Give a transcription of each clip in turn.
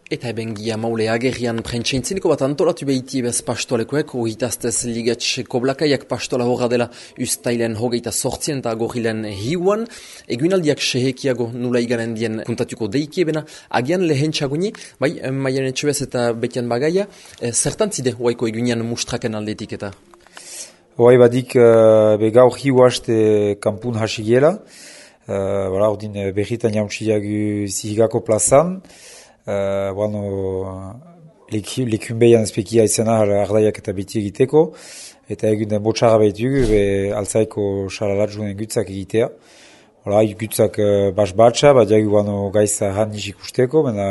Eta eben gia maule agerrian prentsaintzineko bat antolatu behiti bez pastolekoek, hogitaztez ligetx koblakaiak pastola horra dela ustailen hogeita sortzien eta agorrilen hiuan, eguinaldiak sehekiago nula iganen dien kuntatuko deikiebena, agian lehentxaguni, bai, maian etxebez eta betian bagaia, zertantzide hoaiko eguinan mustraken aldetik eta? Hoai badik gaur hiu haste kampun hasigiela, ordin berritan jauntziagu zihigako plazan, lekumbeian ezpekia izena ardaiak eta beti egiteko, eta egun den botxarra behitugu, altzaiko xalalatzunen gutzak egitea. Gutzak bas-batxa, badiagu gaiza hanniz ikusteko, mena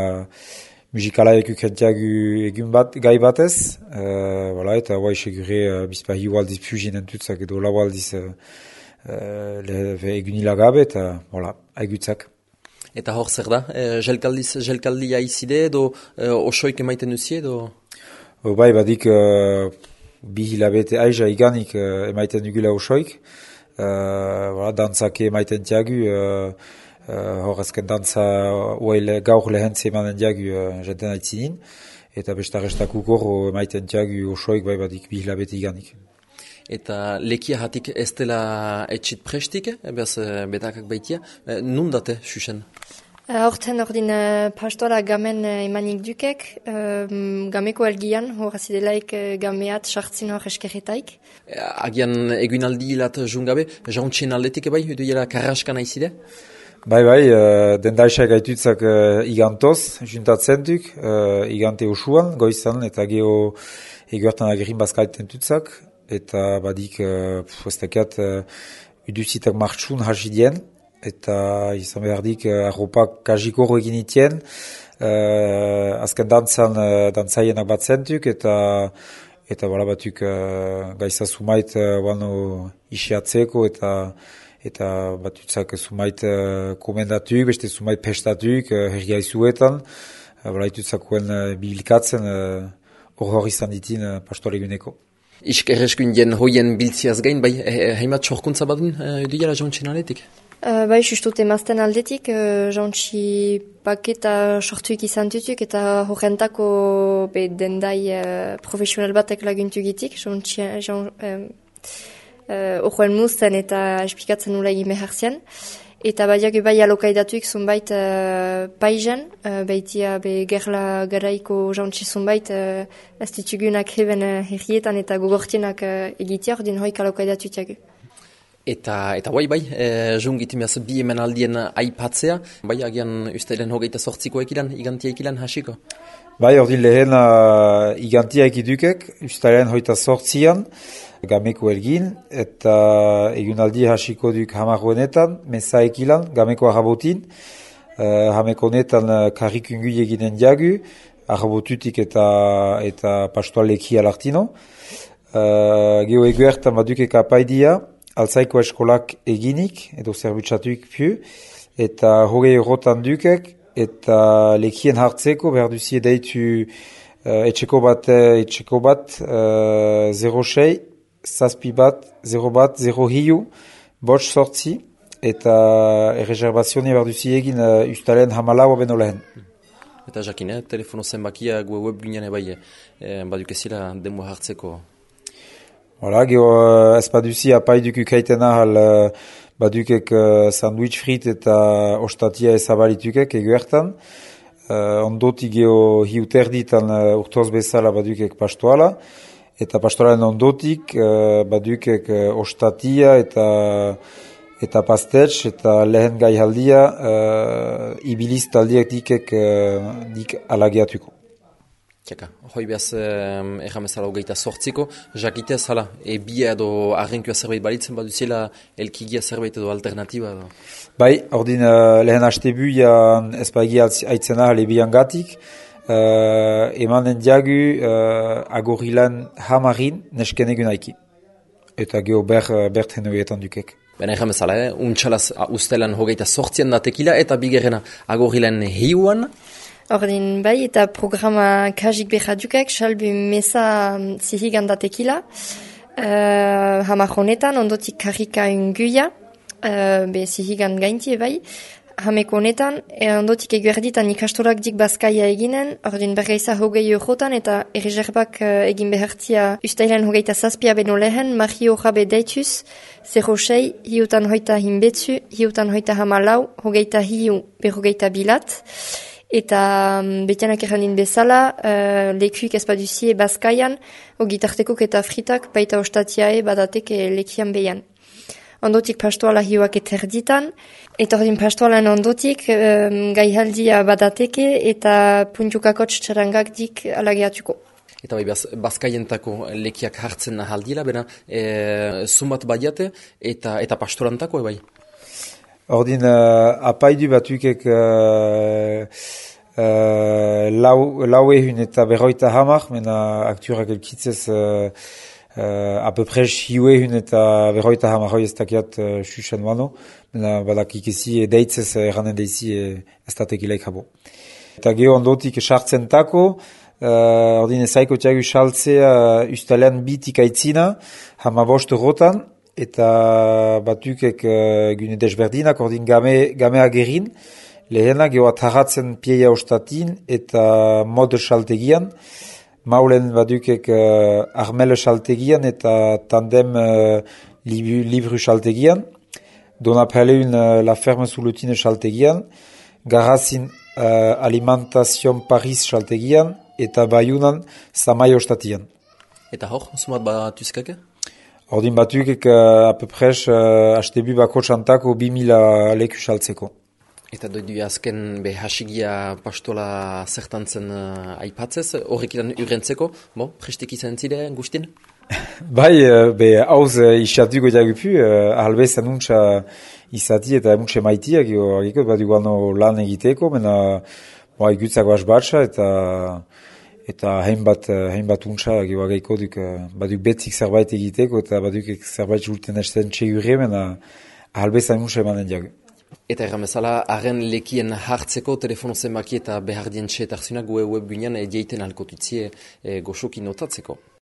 musikalaik ukentiagu egun bat, gai batez, eta hoa isegure bizpa hiu aldiz puzinen tutzak edo lau aldiz egunilagabe, eta aigutzak. Eta hor zer da? Jelkaldia izide edo osoik emaiten duzie edo? Bai, badik bi hilabete aiza iganik emaiten dugula osoik. Dantzak emaiten diagu, hor azken dantza gaur lehentze emanen diagu jenten aitzinin. Eta bestarrestak ukor emaiten diagu osoik, bai badik bi hilabete iganik. Eta lekia hatik ez dela etxit prestik, beaz betakak baitia, nun date, Xuxen? Horten ordin pastola gamen emanik dukek, gameko algian, horazidelaik gameat sartzin hor eskerretaik. Agian egunaldi lat jungabe, jauntxien aldetik bai, edo karraskan aizide? Bai, dendaisak gaitutzak igantoz, juntatzen duk, igante usuan, goizan, eta geho eguertan agerin bazkaiten tutzak, eta badik, ez dakiat, uduzitak martxun hasidien, eta izan behardik arropak kajikoro egin itien, azken dantzaienak bat zentuk, eta batuk gaiza sumait isiatzeko, eta batutzak sumait komendatuk, beste sumait pestatuk, herria izuetan, itutzakuen bilikatzen hor izan ditin pastoreguneko. Iskerreskun jen hoien biltziaz gain, bai, heimat sorkuntza badun edo jauntxen aletik? Bai, justut emazten aldetik, jauntxi paketa sortuik izan tutuk, eta horrentako dendai profesional batek laguntu gitik, horren muzten eta esplikatzen nula egin behartzen. Eta badiak bai alokaidatuik zunbait paizen, baitia gerla garaiko jauntsi zunbait ez ditugunak heben herrietan eta gogortienak egitea, ordin hoik alokaidatuak. Eta bai, jungitimeaz bi hemen aldien aipatzea, bai agian ustailen hogeita sortziko ekilan, igantia ekilan hasiko? Bai, ordin lehen igantia ekidukek, ustailen hogeita sortzian, gameko elgin, eta egunaldi hasiko duk hamarroenetan, meza ekilan, gameko arabotin, hameko honetan karrikungu eginen diagu, arabotutik eta pastoaleki alartino. Geho eguertan badukek apaidia, altzaiko eskolak eginik, edo zerbutsatuik piu, eta hogei errotan dukek, eta lekien hartzeko, behar duzie deitu etxeko bat 06, zazpi bat, 0 bat, 0 hiu, botx sortzi, eta erreserbazione behar duzie egin ustalen hamalau beno lehen. Eta jakin, telefono zenbakia web ginean bai, badukezila demo hartzeko. Geho ez baduzi apaiduk ukaiten ahal badukek sandwich frit eta ostatia ezabalitukek eguertan. Ondotik geho hiuterditan urtoz bezala badukek pastoala. Eta pastoalen ondotik badukek ostatia eta pastetx eta lehen gai haldia ibiliz taldiak dik alageatuko. Tiaka, hoi behaz erramezala hogeita sortziko, jakitez hala, bia edo arrenkua zerbait balitzen baduziela elkigia zerbait edo alternatiba? Bai, ordin lehen hastebuian ezpagia aitzena lebian gatik, emanen diagu agorilan hamarin nesken egun aiki. Eta geho bert henoetan dukek. Bena erramezala, untxalaz ustelan hogeita sortzien da tekila eta bigerena agorilan hiuan. Ordin bai, eta programa kajik behadukek, salbu meza zihigan da tekila. Hamar honetan, ondotik karrika unguia, zihigan gaintie bai. hameko honetan, ondotik eguerditan ikastorak dik Bazkaia eginen, ordin bergeiza 20 eurotan eta erreserbak egin behartia ustailan 27 beno lehen, Mario Jabe deituz, 06, hiutan hoita hinbetzu, hiutan hoita hamalau, 25 berrogeita bilat, eta betianak errandin bezala, lekuik espaduzie Bazkaian, ogitartekok eta fritak baita ostatiae badatek lekian behan. Ondotik pastoala hiuak eterditan, eta ordin pastoalan ondotik gaihaldia badateke eta puntukakotx txarangak dik alageatuko. Eta bai, Bazkaientako lekiak hartzen ahaldila, bera, zumat badiate eta pastorantako, bai? Ordin, apaidu batukek lau ehun eta berroita hamar, mena akturak elkitzez à peu près hiuehun eta berroita hamarroi ez dakiat xuxen mano, mena badakik ezi deitzez erranen deizi ez datekileik habo. Eta geho ondotik sartzentako, ordin ezaiko tiagu saltzea ustalean bitik aitzina, hamabost rotan, eta batukek gune desberdinak, ordin game agerin, lehena geho atarratzen pieia ostatin eta mod saltegian, maulen badukek armele saltegian eta tandem libru saltegian, donapeleun la ferme zulutine saltegian, garazin alimentation Paris saltegian eta baiunan samai ostatian. Eta hor, sumat batuzkake? Ordin batukek à peu près hastebu bako txantako 2000 leku saltzeko. Eta doidu azken hasigia pastola zertantzen aipatzez, horrek iran urrentzeko, prestek izan zide guztin? Bai, hauz isatuko jagupu, ahalbez anuntza izati eta anuntza maitiak, bat igualno lan egiteko, mena igutzako asbatza eta hainbat untza gehiago duk, baduk betzik zerbait egiteko eta baduk zerbait julten esten txegurre, mena ahalbez anuntza emanen jagu. Eta erramezala, haren lekien hartzeko telefono zenbaki eta behar dien txetarzunak web binean jeiten alkotutzie goxoki notatzeko.